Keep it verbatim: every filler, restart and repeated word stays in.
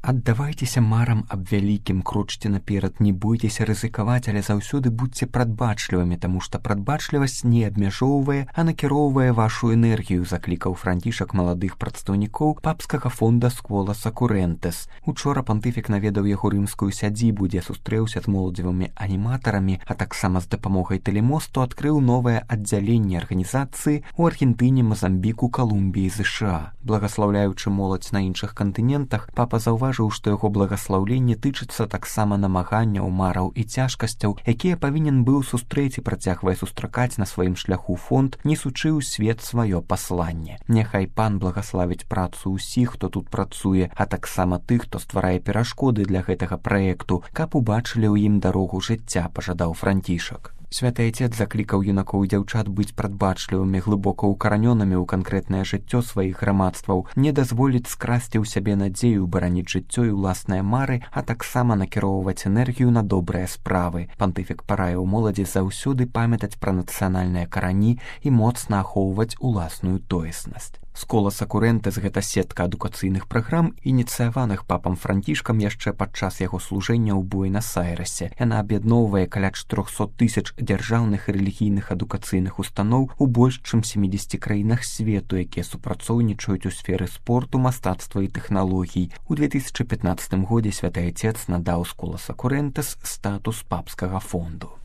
Аддавайцеся марам аб вялікім, крочце наперад, не бойцеся рызыкаваць, але заўсёды будьце прадбачлівымі, таму што прадбачлівасць не абмяжоўвае, а накіроўвае вашу энергію, заклікаў Францішак маладых прадстаўнікоў папскага фонда Скола Сакурэнтэс. Учора пантыфік наведаў яго рымскую сядзібу, дзе сустрэўся з моладзевымі аніматарамі, а таксама з дапамогай тэлемосту адкрыў новае аддзяленне арганізацыі ў Аргентыне, Мазамбіку, Калумбіі, ЗША. Благаслаўляючы моладзь на іншых кантынентах, папа заўважыў, што яго благаслаўленне тычыцца таксама намаганняў, мараў і цяжкасцяў, якія павінен быў сустрэць і працягвае сустракаць на сваім шляху фонд, несучы ў свет сваё пасланне. Няхай пан благаславіць працу ўсіх, хто тут працуе, а таксама тых, хто стварае перашкоды для гэтага праекту, каб убачылі ў ім дарогу жыцця, пажадаў Францішак. Святы Айцец заклікаў юнакоў і дзяўчат быць прадбачлівымі, глыбока ўкаранёнымі ў канкрэтнае жыццё сваіх грамадстваў, не дазволіць скрасці ў сябе надзею, бараніць жыццё і ўласныя мары, а таксама накіроўваць энергію на добрыя справы. Пантыфік параіў моладзі заўсёды памятаць пра нацыянальныя карані і моцна ахоўваць уласную тоеснасць. Скола Сакурэнтэс — гэта сетка адукацыйных праграм, ініцыяваных папам Францішкам яшчэ падчас яго служэння ў Буэнас-Айрэсе. Яна аб'ядноўвае каля чатырохсот тысяч дзяржаўных і рэлігійных адукацыйных устаноў у больш чым сямідзесяці краінах свету, якія супрацоўнічаюць у сферы спорту, мастацтва і тэхналогій. У две тысячы пятнаццатым годзе Святы Айцец надаў Скола Сакурэнтэс статус папскага фонду.